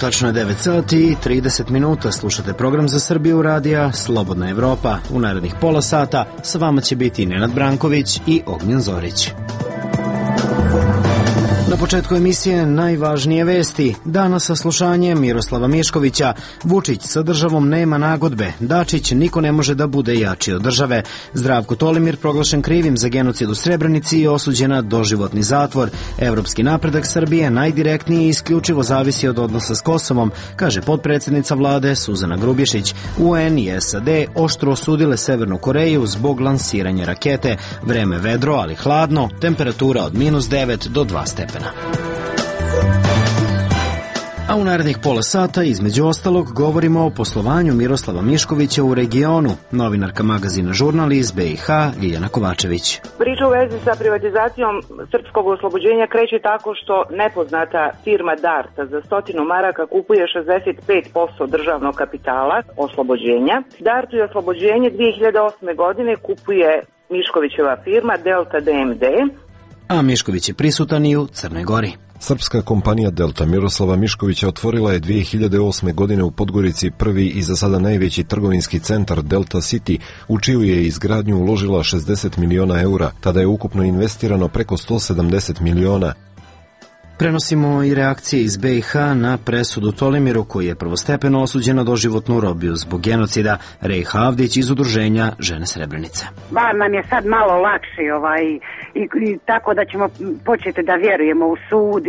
tačno je 9 sati i 30 minuta. Slušate program za Srbiju radija Slobodna Evropa. U narednih pola sata sa vama će biti Nenad Branković i Ognjen Zorić. Na početku emisije najvažnije vesti. Danas saslušanje Miroslava Miškovića. Vučić sa državom nema nagodbe. Dačić niko ne može da bude jači od države. Zdravko Tolimir proglašen krivim za genocid u Srebrenici i osuđen na doživotni zatvor. Evropski napredak Srbije najdirektnije i isključivo zavisi od odnosa s Kosovom, kaže potpredsjednica vlade Suzana Grubješić. UN i SAD oštro osudile Severnu Koreju zbog lansiranja rakete. Vreme vedro, ali hladno, temperatura od -9 do 2 stepena. A u narednih pola sata, između ostalog, govorimo o poslovanju Miroslava Miškovića u regionu. Novinarka magazina Žurnal iz BiH, Ljiljana Kovačević. Priča u vezi sa privatizacijom srpskog oslobođenja kreće tako što nepoznata firma Darta za 100 maraka kupuje 65% državnog kapitala oslobođenja. Dartu je oslobođenje 2008. godine kupuje Miškovićeva firma Delta DMD. A Mišković je prisutan i u Crnoj Gori. Srpska kompanija Delta Miroslava Miškovića otvorila je 2008. godine u Podgorici prvi i za sada najveći trgovinski centar Delta City, u čiju je izgradnju uložila 60 miliona eura. Tada je ukupno investirano preko 170 miliona. Prenosimo i reakcije iz BiH na presudu Tolimiru, koji je prvostepeno osuđen na doživotnu robiju zbog genocida. Rejha Avdić iz udruženja Žene Srebrenice. Bar nam je sad malo lakše i tako da ćemo početi da vjerujemo u sud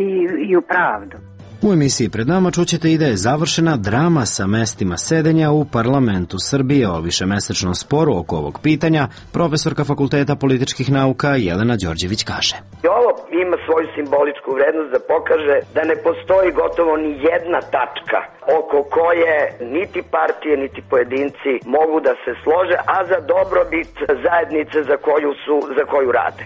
i u pravdu. U emisiji pred nama čućete i da je završena drama sa mestima sedenja u parlamentu Srbije. O višemesečnom sporu oko ovog pitanja profesorka Fakulteta političkih nauka Jelena Đorđević kaže. Ovo ima svoju simboličku vrednost da pokaže da ne postoji gotovo ni jedna tačka oko koje niti partije niti pojedinci mogu da se slože, a za dobrobit zajednice za koju rade.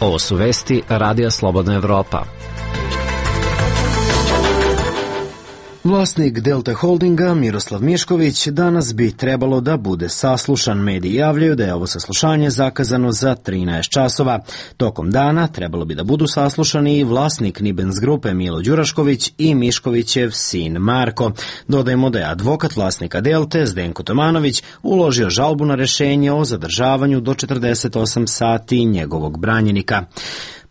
Ovo su vesti Radija Slobodna Evropa. Vlasnik Delta Holdinga, Miroslav Mišković, danas bi trebalo da bude saslušan. Mediji javljaju da je ovo saslušanje zakazano za 13 časova. Tokom dana trebalo bi da budu saslušani i vlasnik Nibens grupe Milo Đurašković i Miškovićev sin Marko. Dodajemo da je advokat vlasnika Delte, Zdenko Tomanović, uložio žalbu na rešenje o zadržavanju do 48 sati njegovog branjenika.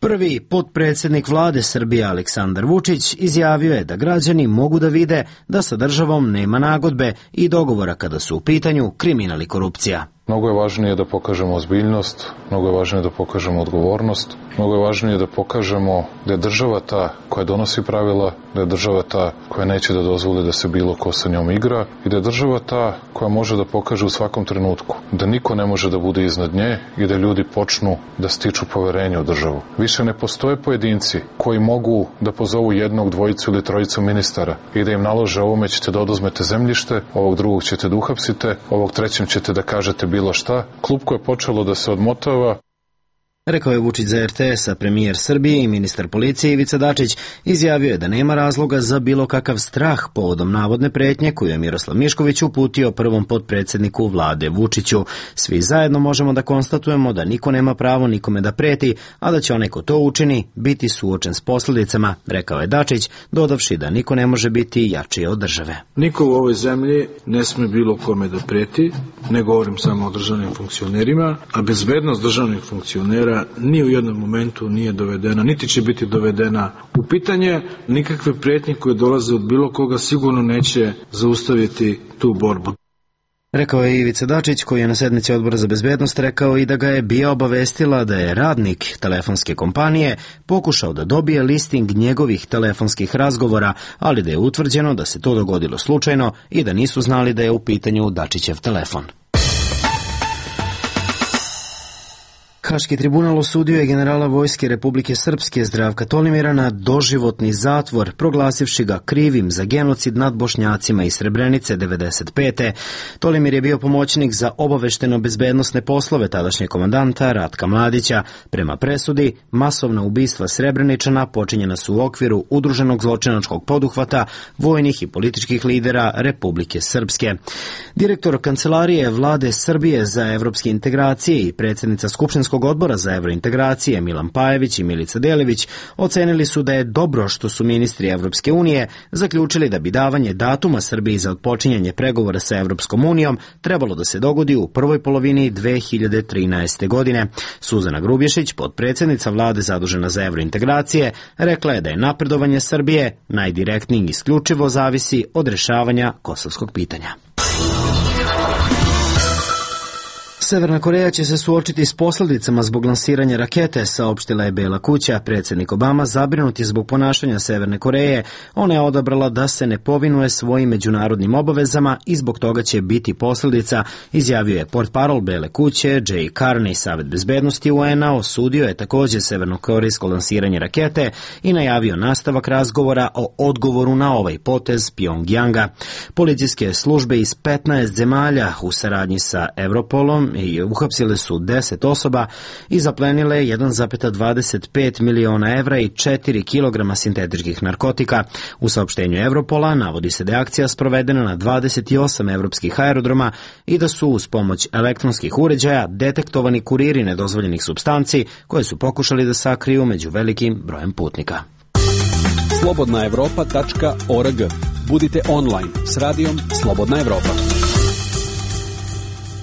Prvi potpredsjednik vlade Srbije Aleksandar Vučić izjavio je da građani mogu da vide da sa državom nema nagodbe i dogovora kada su u pitanju kriminal i korupcija. Mnogo je važnije da pokažemo ozbiljnost, mnogo je važnije da pokažemo odgovornost, mnogo je važnije da pokažemo da je država ta koja donosi pravila, da je država ta koja neće da dozvoli da se bilo ko sa njom igra i da je država ta koja može da pokaže u svakom trenutku da niko ne može da bude iznad nje i da ljudi počnu da stiču poverenje u državu. Više ne postoje pojedinci koji mogu da pozovu jednog, dvojicu ili trojicu ministara i da im nalože ovome ćete da oduzmete zemljište, ovog drugog ćete da uhapsite, ovog trećem ćete da kažete bilo šta. Klupko je počelo da se odmotava. Rekao je Vučić za RTS, a premijer Srbije i ministar policije Ivica Dačić izjavio je da nema razloga za bilo kakav strah povodom navodne pretnje koju je Miroslav Mišković uputio prvom potpredsjedniku vlade Vučiću. Svi zajedno možemo da konstatujemo da niko nema pravo nikome da preti, a da će onaj ko to učini biti suočen s posljedicama, rekao je Dačić, dodavši da niko ne može biti jači od države. Niko u ovoj zemlji ne sme bilo kome da preti, ne govorim samo o državnim funkcionerima, a bezbednost državnih funkcionera ni u jednom momentu nije dovedena, niti će biti dovedena u pitanje. Nikakve prijetnje koje dolaze od bilo koga sigurno neće zaustaviti tu borbu. Rekao je Ivica Dačić, koji je na sednici Odbora za bezbednost rekao i da ga je BIA obavestila da je radnik telefonske kompanije pokušao da dobije listing njegovih telefonskih razgovora, ali da je utvrđeno da se to dogodilo slučajno i da nisu znali da je u pitanju Dačićev telefon. Haški tribunal osudio je generala Vojske Republike Srpske Zdravka Tolimira na doživotni zatvor, proglasivši ga krivim za genocid nad Bošnjacima iz Srebrenice 1995. Tolimir je bio pomoćnik za obavešteno-bezbednosne poslove tadašnjeg komandanta Ratka Mladića. Prema presudi, masovna ubistva Srebreničana počinjena su u okviru udruženog zločinačkog poduhvata vojnih i političkih lidera Republike Srpske. Direktor Kancelarije vlade Srbije za evropske integracije i predsjednica Skupštinskog Skupštinskog odbora za evrointegracije Milan Pajević i Milica Delević ocenili su da je dobro što su ministri Evropske unije zaključili da bi davanje datuma Srbiji za odpočinjanje pregovora sa Evropskom unijom trebalo da se dogodi u prvoj polovini 2013. godine. Suzana Grubješić, potpredsjednica vlade zadužena za evrointegracije, rekla je da je napredovanje Srbije najdirektnije isključivo zavisi od rešavanja kosovskog pitanja. Severna Koreja će se suočiti s posljedicama zbog lansiranja rakete, saopštila je Bela kuća. Predsjednik Obama zabrinut je zbog ponašanja Severne Koreje. Ona je odabrala da se ne povinuje svojim međunarodnim obavezama i zbog toga će biti posljedica, izjavio je portparol Bele kuće Jay Carney. Savet bezbednosti UN-a osudio je također severnokorejsko lansiranje rakete i najavio nastavak razgovora o odgovoru na ovaj potez Pjongjanga. Policijske službe iz 15 zemalja u saradnji sa Europolom i uhapsile su 10 osoba i zaplenile 1,25 miliona evra i 4 kilograma sintetičkih narkotika. U saopštenju Europola navodi se da je akcija sprovedena na 28 evropskih aerodroma i da su uz pomoć elektronskih uređaja detektovani kuriri nedozvoljenih supstanci koje su pokušali da sakriju među velikim brojem putnika. Slobodnaevropa.org. Budite online s radijom Slobodna Evropa.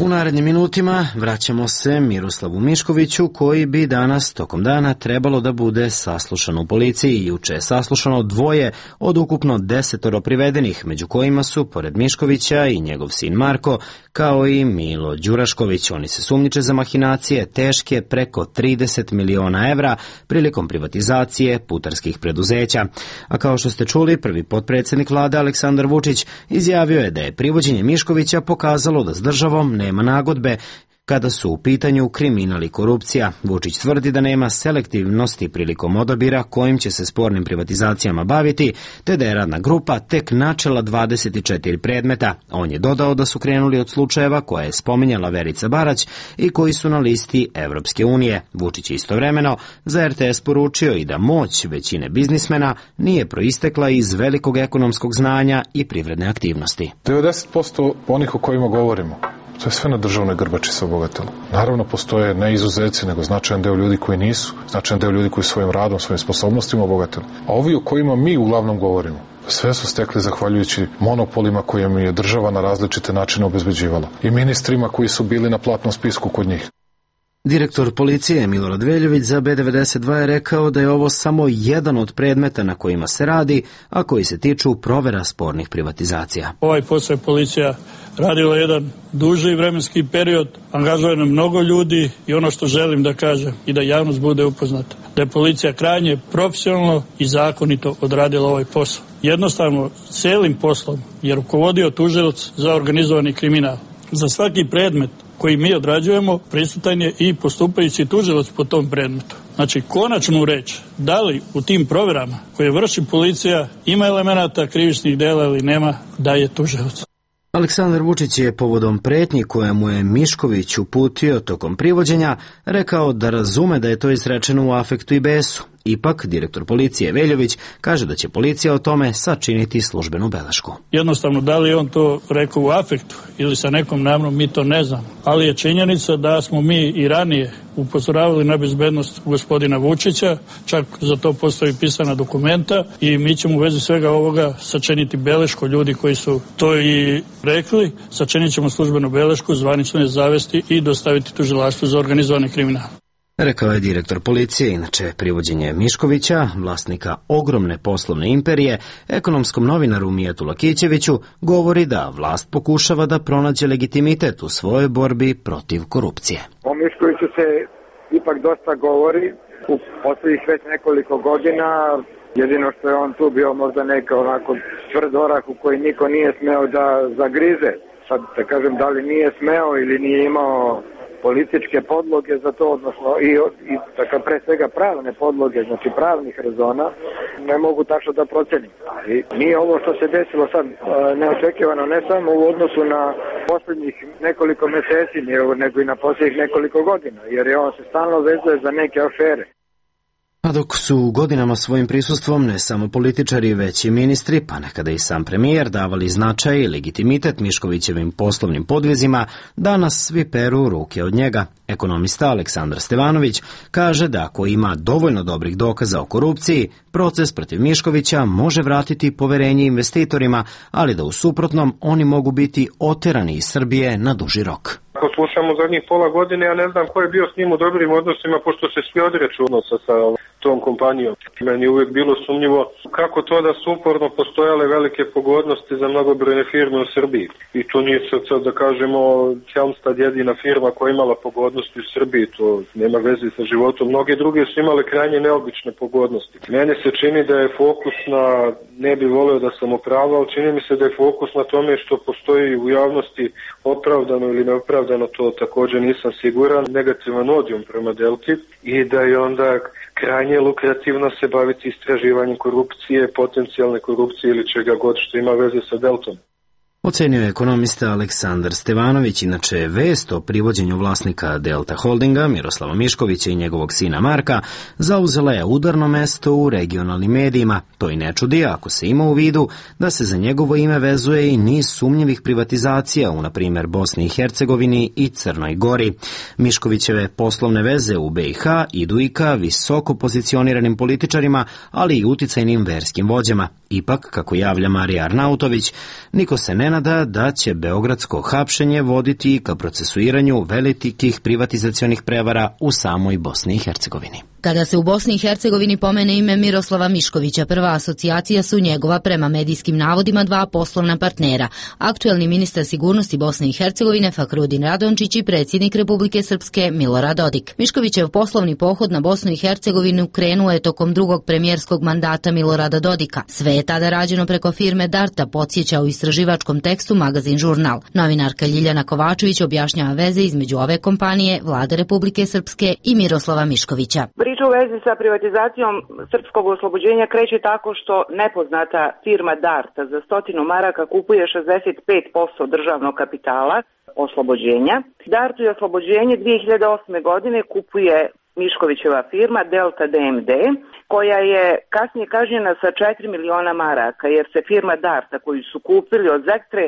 U narednim minutima vraćamo se Miroslavu Miškoviću, koji bi danas tokom dana trebalo da bude saslušan u policiji. Juče je saslušano 2 od ukupno 10 privedenih, među kojima su, pored Miškovića, i njegov sin Marko, kao i Milo Đurašković. Oni se sumnjiče za mahinacije teške preko 30 miliona evra prilikom privatizacije putarskih preduzeća. A kao što ste čuli, prvi potpredsjednik vlade Aleksandar Vučić izjavio je da je privođenje Miškovića pokazalo da s državom nema nagodbe kada su u pitanju kriminal i korupcija. Vučić tvrdi da nema selektivnosti prilikom odabira kojim će se spornim privatizacijama baviti, te da je radna grupa tek načela 24 predmeta. On je dodao da su krenuli od slučajeva koje je spominjala Verica Barać i koji su na listi Evropske unije. Vučić je istovremeno za RTS poručio i da moć većine biznismena nije proistekla iz velikog ekonomskog znanja i privredne aktivnosti. 90% onih o kojima govorimo, to je sve na državnoj grbači se obogatilo. Naravno, postoje ne izuzeci, nego značajan deo ljudi koji nisu, značajan deo ljudi koji svojim radom, svojim sposobnostima obogatili. A ovi o kojima mi uglavnom govorimo, sve su stekli zahvaljujući monopolima koje mi je država na različite načine obezbeđivala. I ministrima koji su bili na platnom spisku kod njih. Direktor policije Milorad Veljović za B92 je rekao da je ovo samo jedan od predmeta na kojima se radi, a koji se tiču provera spornih privatizacija. Ovaj posao je policija radila jedan duži vremenski period, angažovano mnogo ljudi i ono što želim da kažem i da javnost bude upoznata, da je policija krajnje profesionalno i zakonito odradila ovaj posao. Jednostavno, celim poslom je rukovodio tužilac za organizovani kriminal. Za svaki predmet koji mi odrađujemo, prisutan je i postupajući tužilac po tom predmetu. Znači, konačnu reč, da li u tim proverama koje vrši policija ima elemenata krivičnih dela ili nema, da je tužilac. Aleksandar Vučić je povodom pretnji koje mu je Mišković uputio tokom privođenja rekao da razume da je to izrečeno u afektu i besu. Ipak, direktor policije Veljović kaže da će policija o tome sačiniti službenu belešku. Jednostavno, da li je on to rekao u afektu ili sa nekom namnom, mi to ne znamo. Ali je činjenica da smo mi i ranije upozoravali na bezbednost gospodina Vučića, čak za to postoji pisana dokumenta i mi ćemo u vezi svega ovoga sačiniti belešku. Ljudi koji su to i rekli, sačinit ćemo službenu belešku, zvanično je zavesti i dostaviti tužilaštvu za organizovani kriminal. Rekao je direktor policije. Inače, privođenje Miškovića, vlasnika ogromne poslovne imperije, ekonomskom novinaru Mijetu Lakićeviću, govori da vlast pokušava da pronađe legitimitet u svojoj borbi protiv korupcije. O Miškoviću se ipak dosta govori u poslednjih već nekoliko godina. Jedino što je on tu bio možda neka onako tvrd orah u koji niko nije smeo da zagrize. Sad da kažem da li nije smeo ili nije imao političke podloge za to, odnosno i dakle, pre svega pravne podloge, znači pravnih rezona, ne mogu tačno da procenim. I nije ovo što se desilo sad neočekivano, ne samo u odnosu na posljednjih nekoliko meseci, nego i na posljednjih nekoliko godina, jer je on se stalno vezuje za neke afere. A dok su godinama svojim prisustvom ne samo političari, već i ministri, pa nekada i sam premijer, davali značaj i legitimitet Miškovićevim poslovnim podvizima, danas svi peru ruke od njega. Ekonomista Aleksandar Stevanović kaže da ako ima dovoljno dobrih dokaza o korupciji, proces protiv Miškovića može vratiti poverenje investitorima, ali da u suprotnom oni mogu biti oterani iz Srbije na duži rok. Ako slušamo zadnjih pola godine, ja ne znam ko je bio s njim u dobrim odnosima, pošto se svi odreću odnosa sa tom kompanijom. Meni je uvijek bilo sumnjivo kako to da su uporno postojale velike pogodnosti za mnogobrojne firme u Srbiji. I to nije sad da kažemo Helmstad jedina firma koja je imala pogodnosti u Srbiji, to nema veze sa životom. Mnoge druge su imale krajnje neobične pogodnosti. Mene se čini da je fokus na, ne bi voleo da sam upravo, ali čini mi se da je fokus na tome što postoji u javnosti opravdano ili neopravdano, to također nisam siguran, negativan odijum prema Delti i da je onda krajnje lukrativno se baviti istraživanjem korupcije, potencijalne korupcije ili čega god što ima veze sa Deltom. Ocenio je ekonomista Aleksandar Stevanović. Inače, vest o privođenju vlasnika Delta Holdinga, Miroslava Miškovića i njegovog sina Marka, zauzela je udarno mesto u regionalnim medijima. To i ne čudi ako se ima u vidu da se za njegovo ime vezuje i niz sumnjivih privatizacija u, na primjer, Bosni i Hercegovini i Crnoj Gori. Miškovićeve poslovne veze u BiH idu i ka visoko pozicioniranim političarima, ali i uticajnim verskim vođama. Ipak, kako javlja Marija Arnautović, niko se ne nada da će beogradsko hapšenje voditi ka procesuiranju velikih privatizacionih prevara u samoj Bosni i Hercegovini. Kada se u Bosni i Hercegovini pomene ime Miroslava Miškovića, prva asocijacija su njegova prema medijskim navodima dva poslovna partnera, aktuelni ministar sigurnosti Bosne i Hercegovine Fahrudin Radončić i predsjednik Republike Srpske Milorad Dodik. Miškovićev poslovni pohod na Bosnu i Hercegovinu krenuo je tokom drugog premijerskog mandata Milorada Dodika. Sve je tada rađeno preko firme Darta, podsjeća u istraživačkom tekstu magazin Žurnal. Novinarka Ljiljana Kovačević objašnjava veze između ove kompanije, Vlade Republike Srpske i Miroslava Miškovića. Priča u vezi sa privatizacijom srpskog oslobođenja kreće tako što nepoznata firma Darta za 100 maraka kupuje 65% državnog kapitala oslobođenja. Dartu je oslobođenje 2008. godine kupuje Miškovićeva firma Delta DMD, koja je kasnije kažnjena sa 4 miliona maraka, jer se firma Darta koju su kupili od Zektre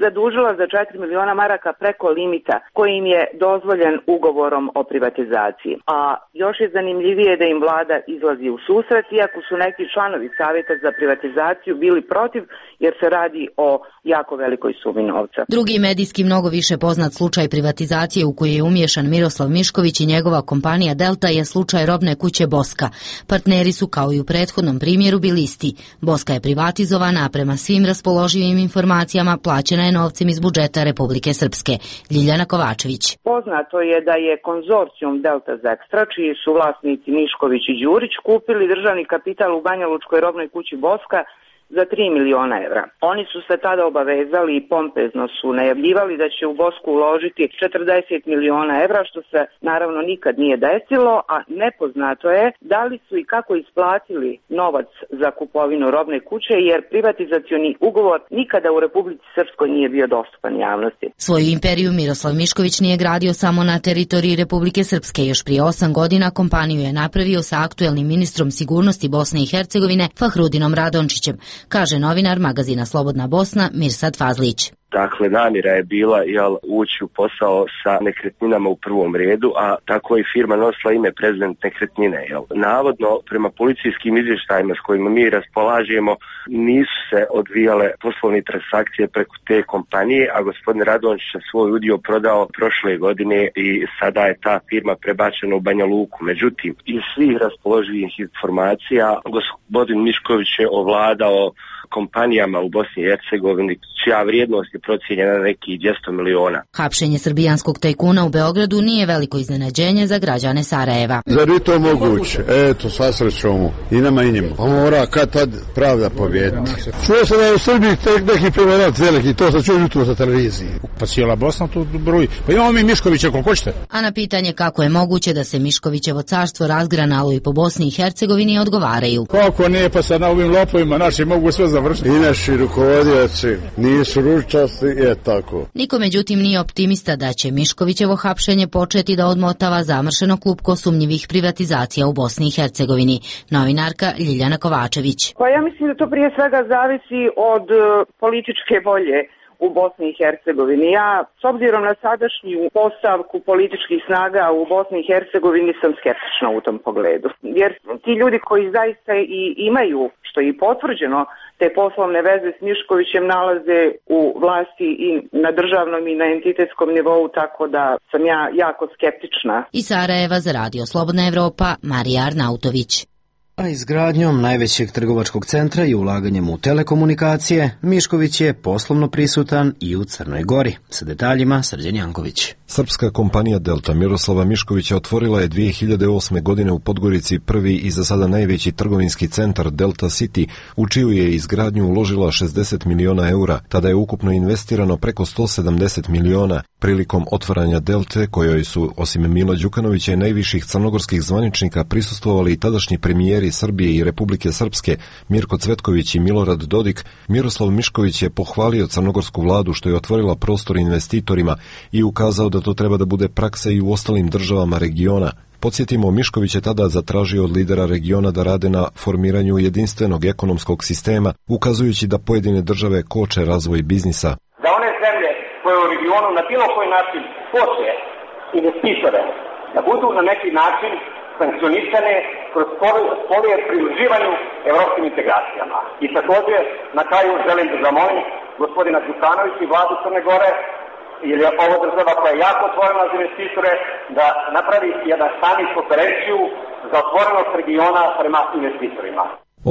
zadužila za 4 miliona maraka preko limita koji im je dozvoljen ugovorom o privatizaciji. A još je zanimljivije da im vlada izlazi u susret, iako su neki članovi savjeta za privatizaciju bili protiv, jer se radi o jako velikoj sumi novca. Drugi medijski mnogo više poznat slučaj privatizacije u koji je umiješan Miroslav Mišković i njegova kompanija Delta je slučaj robne kuće Boska. Partneri su kao i u prethodnom primjeru bili isti. Boska je privatizovana, a prema svim raspoloživim informacijama plaćena je novcem iz budžeta Republike Srpske. Ljiljana Kovačević. Poznato je da je konzorcijum Delta Zekstra, čiji su vlasnici Mišković i Đurić, kupili državni kapital u Banjalučkoj robnoj kući Boska za 3 miliona evra. Oni su se tada obavezali i pompezno su najavljivali da će u Bosku uložiti 40 miliona evra, što se naravno nikad nije desilo, a nepoznato je da li su i kako isplatili novac za kupovinu robne kuće, jer privatizacioni ugovor nikada u Republici Srpskoj nije bio dostupan javnosti. Svoju imperiju Miroslav Mišković nije gradio samo na teritoriji Republike Srpske. Još prije 8 godina kompaniju je napravio sa aktuelnim ministrom sigurnosti Bosne i Hercegovine Fahrudinom Radončićem, kaže novinar magazina Slobodna Bosna Mirsad Fazlić. Dakle, namjera je bila ući u posao sa nekretninama u prvom redu, a tako je firma nosila ime prezident nekretnine. Navodno, prema policijskim izvještajima s kojima mi raspolažemo, nisu se odvijale poslovne transakcije preko te kompanije, a gospodin Radončić je svoj udio prodao prošle godine i sada je ta firma prebačena u Banja Luku. Međutim, iz svih raspoloživih informacija, gospodin Mišković je ovladao kompanijama u Bosni i Hercegovini, čija vrijednost je procijenjena na nekih 200 miliona. Hapšenje srbijanskog tajkuna u Beogradu nije veliko iznenađenje za građane Sarajeva. Zar je to moguće? Eto, sva srećom i nama i njima. Pa mora kad tad pravda pobjediti. Čuo se da je u Srbiji neki prevarant veliki, to sam čuo jutro sa televiziji. Pa cijela Bosna tu broji. Pa imamo mi Miškovića koliko hoćete. A na pitanje kako je moguće da se Miškovićevo carstvo razgranalo i po Bosni i Hercegovini odgovaraju. Kako nije, pa sad na ovim lopovima naši mogu sve završiti. I naši rukovodioci nisu ručasti, je tako. Niko međutim nije optimista da će Miškovićevo hapšenje početi da odmotava zamršeno klupko sumnjivih privatizacija u Bosni i Hercegovini. Novinarka Ljiljana Kovačević. Pa ja mislim da to prije svega zavisi od političke volje u Bosni i Hercegovini. Ja, s obzirom na sadašnju postavku političkih snaga u Bosni i Hercegovini, sam skeptična u tom pogledu. Jer ti ljudi koji zaista i imaju, što je i potvrđeno, te poslovne veze s Miškovićem nalaze u vlasti i na državnom i na entitetskom nivou, tako da sam ja jako skeptična. Iz Sarajeva za Radio Slobodna Evropa, Marija Arnautović. A izgradnjom najvećeg trgovačkog centra i ulaganjem u telekomunikacije, Mišković je poslovno prisutan i u Crnoj Gori. Sa detaljima Srđan Janković. Srpska kompanija Delta Miroslava Miškovića otvorila je 2008. godine u Podgorici prvi i za sada najveći trgovinski centar Delta City, u čiju je izgradnju uložila 60 miliona eura. Tada je ukupno investirano preko 170 miliona. Prilikom otvaranja Delte, kojoj su, osim Mila Đukanovića i najviših crnogorskih zvaničnika, prisustvovali i tadašnji premijeri Srbije i Republike Srpske Mirko Cvetković i Milorad Dodik, Miroslav Mišković je pohvalio crnogorsku vladu što je otvorila prostor investitorima i ukazao da to treba da bude praksa i u ostalim državama regiona. Podsjetimo, Mišković je tada zatražio od lidera regiona da rade na formiranju jedinstvenog ekonomskog sistema, ukazujući da pojedine države koče razvoj biznisa. Da one zemlje koje u regionu na bilo koji način koče investitore, da budu na neki način sankcionisane kroz polje pridruživanju evropskim integracijama. I također, na kraju želim da zamolim gospodina Đukanovića i vladu Crne Gore, jer je ovo država koja je jako otvorena za investitore, da napravi jedan samit konferenciju za otvorenost regiona prema investitorima.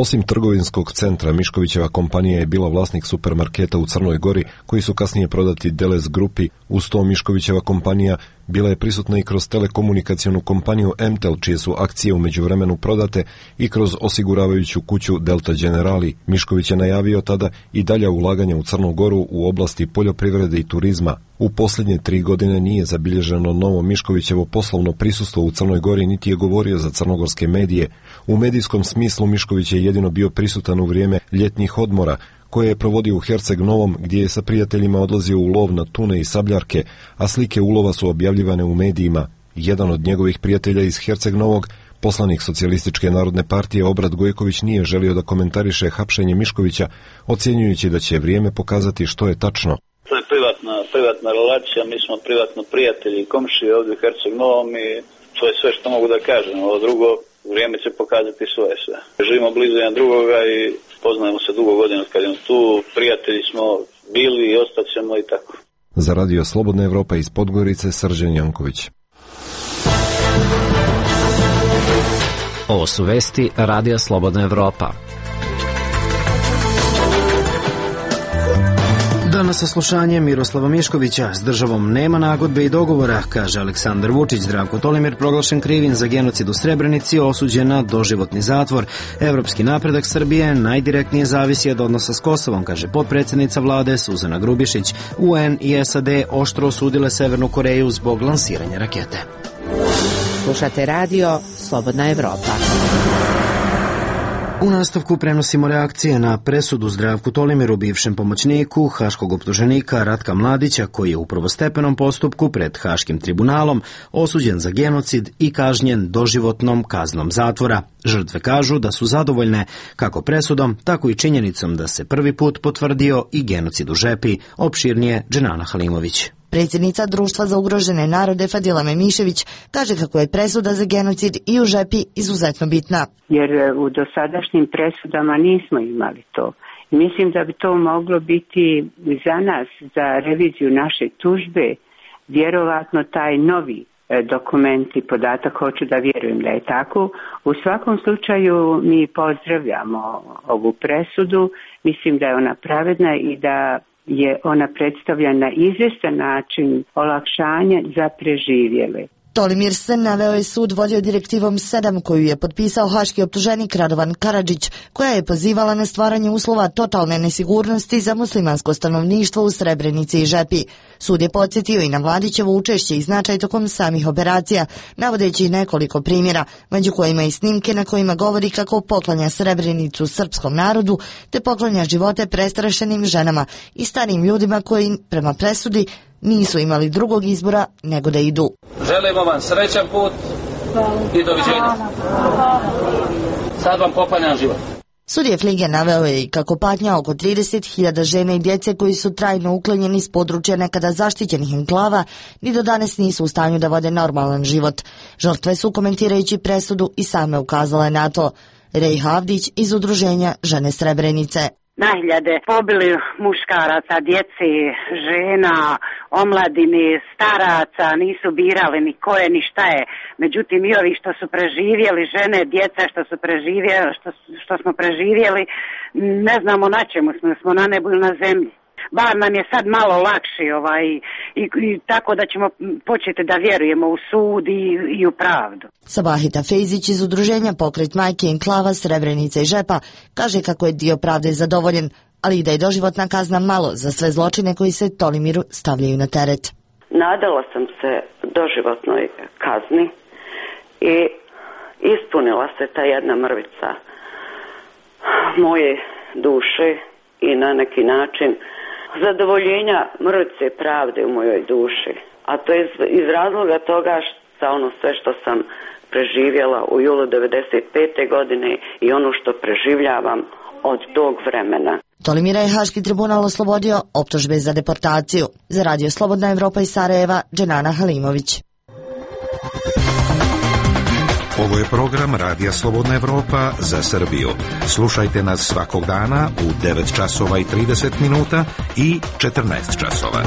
Osim trgovinskog centra, Miškovićeva kompanija je bila vlasnik supermarketa u Crnoj Gori, koji su kasnije prodati Delez grupi. Uz to Miškovićeva kompanija bila je prisutna i kroz telekomunikacionu kompaniju Emtel, čije su akcije u međuvremenu prodate, i kroz osiguravajuću kuću Delta Generali. Mišković je najavio tada i dalja ulaganja u Crnu Goru u oblasti poljoprivrede i turizma. U posljednje 3 godine nije zabilježeno novo Miškovićevo poslovno prisustvo u Crnoj Gori, niti je govorio za crnogorske medije. U medijskom smislu Mišković je jedino bio prisutan u vrijeme ljetnih odmora, koje je provodio u Herceg Novom, gdje je sa prijateljima odlazio u lov na tune i sabljarke, a slike ulova su objavljivane u medijima. Jedan od njegovih prijatelja iz Herceg Novog, poslanik Socijalističke narodne partije Obrad Gojković, nije želio da komentariše hapšenje Miškovića, ocjenjujući da će vrijeme pokazati što je tačno. To je privatna relacija, mi smo privatno prijatelji i komšije ovdje u Herceg Novom i to je sve što mogu da kažem. Ovo drugo, vrijeme će pokazati svoje sve. Živimo blizu jedan drugoga i poznajemo se dugo godina kad je tu, prijatelji smo bili i ostaćemo i tako. Za Radio Slobodna Evropa iz Podgorice, Srđan Janković. Ovo su vesti Radija Slobodna Evropa. Danas saslušanje Miroslava Miškovića. S državom nema nagodbe i dogovora, kaže Aleksandar Vučić. Zdravko Tolimir proglašen krivim za genocid u Srebrenici, osuđen na doživotni zatvor. Evropski napredak Srbije najdirektnije zavisi od odnosa s Kosovom, kaže potpredsjednica vlade Suzana Grubišić. UN i SAD oštro osudile Severnu Koreju zbog lansiranja rakete. Slušate radio Slobodna Evropa. U nastavku prenosimo reakcije na presudu Zdravku Tolimiru, bivšem pomoćniku haškog optuženika Ratka Mladića, koji je u prvostepenom postupku pred Haškim tribunalom osuđen za genocid i kažnjen doživotnom kaznom zatvora. Žrtve kažu da su zadovoljne kako presudom, tako i činjenicom da se prvi put potvrdio i genocid u Žepi, opširnije Dženana Halimović. Predsjednica Društva za ugrožene narode Fadila Memišević kaže kako je presuda za genocid i u Žepi izuzetno bitna. Jer u dosadašnjim presudama nismo imali to. I mislim da bi to moglo biti za nas, za reviziju naše tužbe, vjerovatno taj novi dokument i podatak, hoću da vjerujem da je tako. U svakom slučaju mi pozdravljamo ovu presudu, mislim da je ona pravedna i da je ona predstavlja na izvjestan način olakšanje za preživjele. Tolimir Sen naveo je sud vodio direktivom 7 koju je potpisao haški optuženik Radovan Karadžić, koja je pozivala na stvaranje uslova totalne nesigurnosti za muslimansko stanovništvo u Srebrenici i Žepi. Sud je podsjetio i na Mladićevo učešće i značaj tokom samih operacija, navodeći nekoliko primjera, među kojima i snimke na kojima govori kako poklanja Srebrenicu srpskom narodu, te poklanja živote prestrašenim ženama i starim ljudima koji, prema presudi, nisu imali drugog izbora nego da idu. Želimo vam srećan put i doviđenja. Sad vam poklanjam život. Sudija Flige naveo je i kako patnja oko 30.000 žena i djece koji su trajno uklonjeni iz područja nekada zaštićenih enklava ni do danas nisu u stanju da vode normalan život. Žrtve su, komentirajući presudu, i same ukazale na to. Rej Havdić iz udruženja Žene Srebrenice. Na hiljade pobili muškaraca, djece, žena, omladine, staraca, nisu birali ni ko je ni šta je. Međutim, i ovi što su preživjeli, žene, djeca što smo preživjeli, ne znamo na čemu smo na nebu ili na zemlji. Bar nam je sad malo lakše i tako da ćemo početi da vjerujemo u sud i u pravdu. Sabahita Fejzić iz udruženja Pokret majke enklava Srebrenica i Žepa kaže kako je dio pravde zadovoljen, ali i da je doživotna kazna malo za sve zločine koji se Tolimiru stavljaju na teret. Nadala sam se doživotnoj kazni i ispunila se ta jedna mrvica moje duše i na neki način zadovoljenja mrvice pravde u mojoj duši. A to je iz razloga toga za ono sve što sam preživjela u julu 1995. godine i ono što preživljavam od tog vremena. Tolimira je Haški tribunal oslobodio optužbe za deportaciju. Za Radio Slobodna Evropa iz Sarajeva, Dženana Halimović. Ovo je program Radija Slobodna Evropa za Srbiju. Slušajte nas svakog dana u 9 časova i 30 minuta i 14 časova.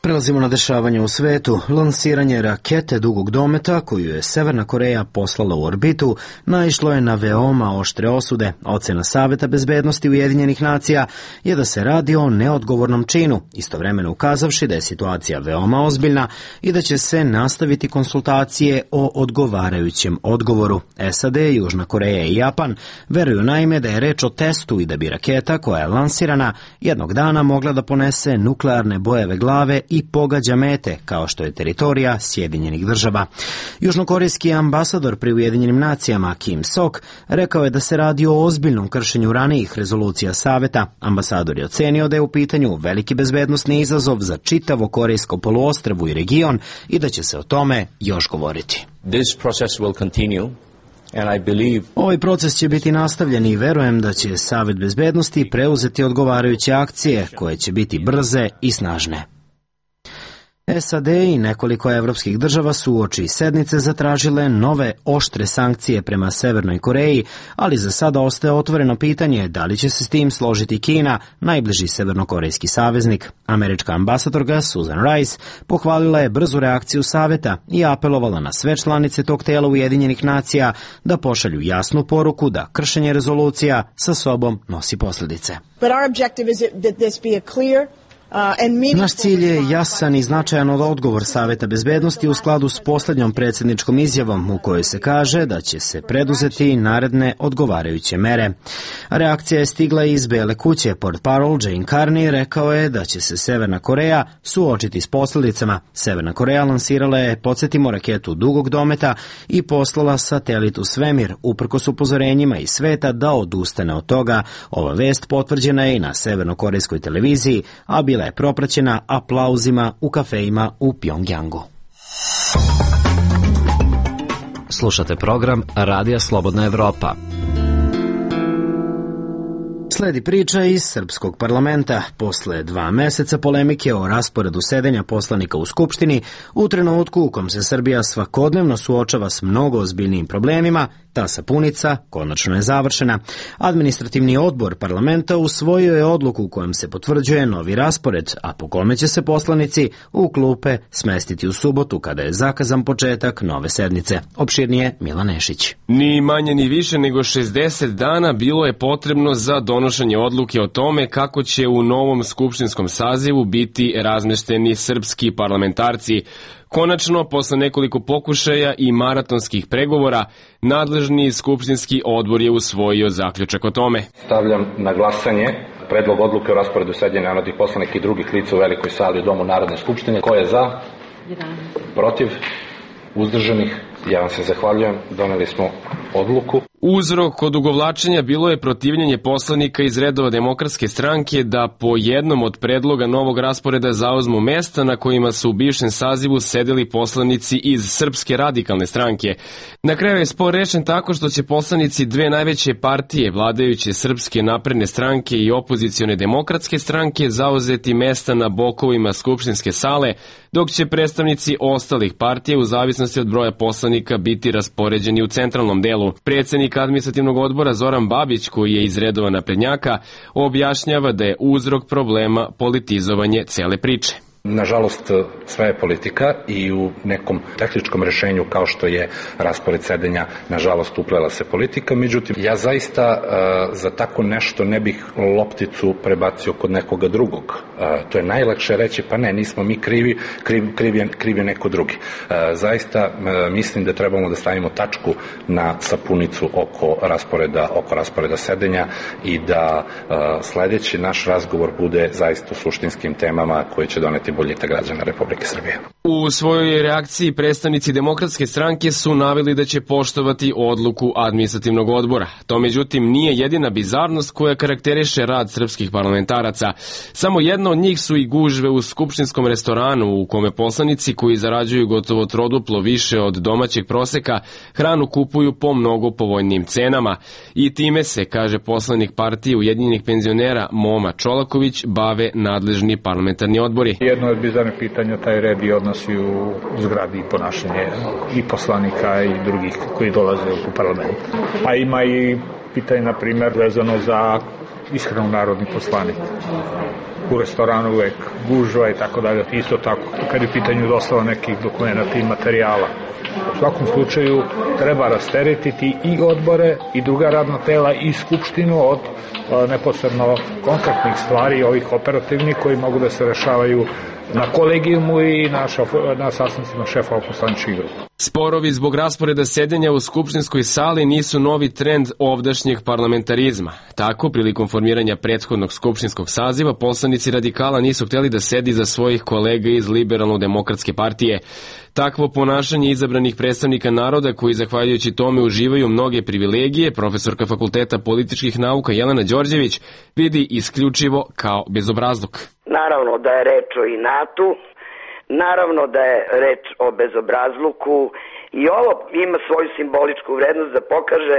Prelazimo na dešavanje u svetu. Lansiranje rakete dugog dometa koju je Severna Koreja poslala u orbitu naišlo je na veoma oštre osude. Ocena Saveta bezbednosti Ujedinjenih nacija je da se radi o neodgovornom činu, istovremeno ukazavši da je situacija veoma ozbiljna i da će se nastaviti konsultacije o odgovarajućem odgovoru. SAD, Južna Koreja i Japan veruju naime da je reč o testu i da bi raketa koja je lansirana jednog dana mogla da ponese nuklearne bojeve glave i pogađa mete, kao što je teritorija Sjedinjenih država. Južnokorejski ambasador pri Ujedinjenim nacijama Kim Sok rekao je da se radi o ozbiljnom kršenju ranijih rezolucija Saveta. Ambasador je ocenio da je u pitanju veliki bezbednosni izazov za čitavo Korejsko poluostrvo i region i da će se o tome još govoriti. This process will continue. Ovaj proces će biti nastavljen i verujem da će Savet bezbednosti preuzeti odgovarajuće akcije koje će biti brze i snažne. SAD i nekoliko evropskih država su uoči sednice zatražile nove oštre sankcije prema Severnoj Koreji, ali za sada ostaje otvoreno pitanje da li će se s tim složiti Kina, najbliži severnokorejski saveznik. Američka ambasadorka Susan Rice pohvalila je brzu reakciju Saveta i apelovala na sve članice tog tela Ujedinjenih nacija da pošalju jasnu poruku da kršenje rezolucija sa sobom nosi posljedice. Naš cilj je jasan i značajan odgovor Saveta bezbednosti u skladu s posljednjom predsjedničkom izjavom u kojoj se kaže da će se preduzeti naredne odgovarajuće mere. Reakcija je stigla iz Bele kuće. Portparol Jane Carney rekao je da će se Severna Koreja suočiti s posljedicama. Severna Koreja lansirala je, podsjetimo, raketu dugog dometa i poslala satelit u svemir, uprkos upozorenjima iz sveta da odustane od toga. Ova vest potvrđena je i na severnokorejskoj televiziji, a bila je propraćena aplauzima u kafejima u Pjongjangu. Slušate program Radija Slobodna Evropa. Sledi priča iz srpskog parlamenta. Posle 2 meseca polemike o rasporedu sedenja poslanika u Skupštini, u trenutku u kom se Srbija svakodnevno suočava s mnogo ozbiljnijim problemima, ta sapunica konačno je završena. Administrativni odbor parlamenta usvojio je odluku u kojem se potvrđuje novi raspored, a po kome će se poslanici u klupe smestiti u subotu kada je zakazan početak nove sednice. Opširnije Milan Nešić. Ni manje ni više nego 60 dana bilo je potrebno za donošenje donošenje odluke o tome kako će u novom skupštinskom sazivu biti razmešteni srpski parlamentarci. Konačno, posle nekoliko pokušaja i maratonskih pregovora, nadležni skupštinski odbor je usvojio zaključak o tome. Stavljam na glasanje predlog odluke o rasporedu sedenja narodnih poslanika i drugih lica u velikoj sali u Domu Narodne skupštine. Ko je za? Protiv? Uzdržanih? Ja vam se zahvaljujem. Doneli smo odluku. Uzrok kod odugovlačenja bilo je protivljenje poslanika iz redova Demokratske stranke da po jednom od predloga novog rasporeda zauzmu mesta na kojima su u bivšem sazivu sedeli poslanici iz Srpske radikalne stranke. Na kraju je spor rešen tako što će poslanici dve najveće partije, vladajuće Srpske napredne stranke i opozicione Demokratske stranke, zauzeti mesta na bokovima skupštinske sale, dok će predstavnici ostalih partija u zavisnosti od broja poslanika biti raspoređeni u centralnom delu. Predsednik administrativnog odbora Zoran Babić, koji je iz redova naprednjaka, objašnjava da je uzrok problema politizovanje cele priče. Nažalost, sve je politika i u nekom tehničkom rešenju kao što je raspored sedenja, nažalost, uplela se politika. Međutim, ja zaista za tako nešto ne bih lopticu prebacio kod nekoga drugog. To je najlakše reći, pa ne, nismo mi krivi, kriv je neko drugi. Zaista mislim da trebamo da stavimo tačku na sapunicu oko rasporeda sedenja i da sledeći naš razgovor bude zaista o suštinskim temama koje će doneti boljitak građana Republike Srbije. U svojoj reakciji predstavnici Demokratske stranke su naveli da će poštovati odluku administrativnog odbora. To međutim nije jedina bizarnost koja karakteriše rad srpskih parlamentaraca. Samo jedna od njih su i gužve u skupštinskom restoranu u kome poslanici koji zarađuju gotovo troduplo više od domaćeg proseka hranu kupuju po mnogo povoljnijim cenama. I time se, kaže poslanik partije Ujedinjenih penzionera Moma Čolaković, bave nadležni parlamentarni odbori. Jedno od bizarnih pitanja taj red i odnosi u zgradi i ponašanje i poslanika i drugih koji dolaze u parlament. A ima i pitanje, na primjer, vezano za ishranu narodnih poslanika. U restoranu uvek gužva i tako dalje. Isto tako, kad je pitanju dostava nekih dokumenta i materijala. U svakom slučaju treba rasteretiti i odbore i druga radna tela i skupštinu od neposredno konkretnih stvari, ovih operativnih koji mogu da se rešavaju na kolegijumu i na sastancima šefova poslaničkih grupa. Sporovi zbog rasporeda sedenja u skupštinskoj sali nisu novi trend ovdašnjeg parlamentarizma. Tako, prilikom formiranja prethodnog skupštinskog saziva, poslanici radikala nisu hteli da sedi za svojih kolega iz Liberalno-demokratske partije. Takvo ponašanje izabranih predstavnika naroda koji zahvaljujući tome uživaju mnoge privilegije, profesorka Fakulteta političkih nauka Jelena Đorđević vidi isključivo kao bezobrazluk. Naravno da je reč o inatu, naravno da je reč o bezobrazluku i ovo ima svoju simboličku vrednost da pokaže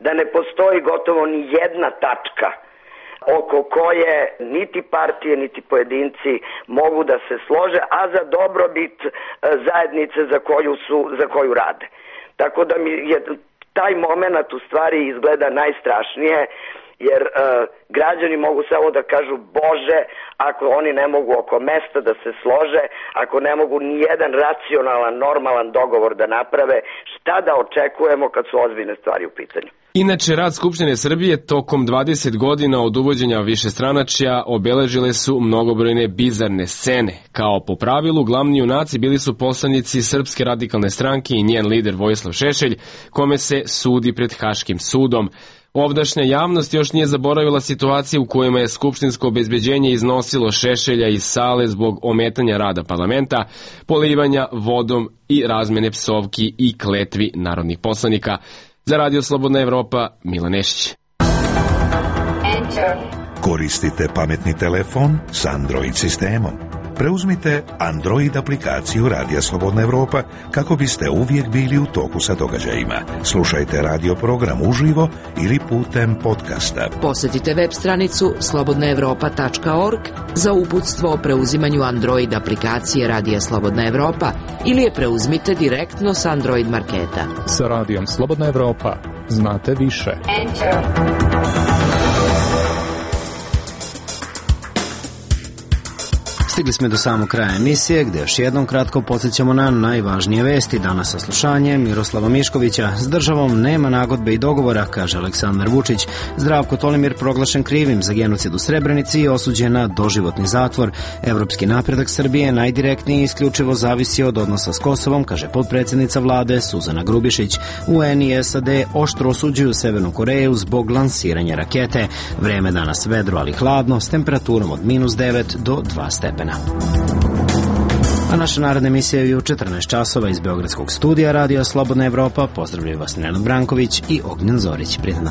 da ne postoji gotovo ni jedna tačka oko koje niti partije niti pojedinci mogu da se slože, a za dobrobit zajednice za koju rade. Tako da mi je taj moment u stvari izgleda najstrašnije, jer građani mogu samo da kažu Bože, ako oni ne mogu oko mesta da se slože, ako ne mogu ni jedan racionalan, normalan dogovor da naprave, šta da očekujemo kad su ozbiljne stvari u pitanju. Inače, rad Skupštine Srbije tokom 20 godina od uvođenja višestranačja obeležile su mnogobrojne bizarne scene. Kao po pravilu, glavni junaci bili su poslanici Srpske radikalne stranke i njen lider Vojislav Šešelj, kome se sudi pred Haškim sudom. Ovdašnja javnost još nije zaboravila situacije u kojima je skupštinsko obezbeđenje iznosilo Šešelja iz sale zbog ometanja rada parlamenta, polivanja vodom i razmene psovki i kletvi narodnih poslanika. Za Radio Slobodna Evropa, Milan Nešić. Koristite pametni telefon s Android sistemom. Preuzmite Android aplikaciju Radija Slobodna Evropa kako biste uvijek bili u toku sa događajima. Slušajte radio program uživo ili putem podcasta. Posjetite web stranicu slobodnaevropa.org za uputstvo o preuzimanju Android aplikacije Radija Slobodna Evropa ili je preuzmite direktno s Android marketa. Sa Radijom Slobodna Evropa znate više. Stigli smo do samog kraja emisije, gde još jednom kratko podsjećamo na najvažnije vesti. Danas saslušanje Miroslava Miškovića. S državom nema nagodbe i dogovora, kaže Aleksandar Vučić. Zdravko Tolimir proglašen krivim za genocid u Srebrenici i osuđen na doživotni zatvor. Evropski napredak Srbije najdirektnije i isključivo zavisi od odnosa s Kosovom, kaže potpredsjednica vlade Suzana Grubišić. UN i SAD oštro osuđuju Severnu Koreju zbog lansiranja rakete. Vreme danas vedro, ali hladno, s temperaturom od -9 do 2 stepena. A naša naredna emisija je u 14 časova iz Beogradskog studija Radija Slobodna Evropa. Pozdravljaju vas Nenad Branković i Ognjen Zorić. Prijatno.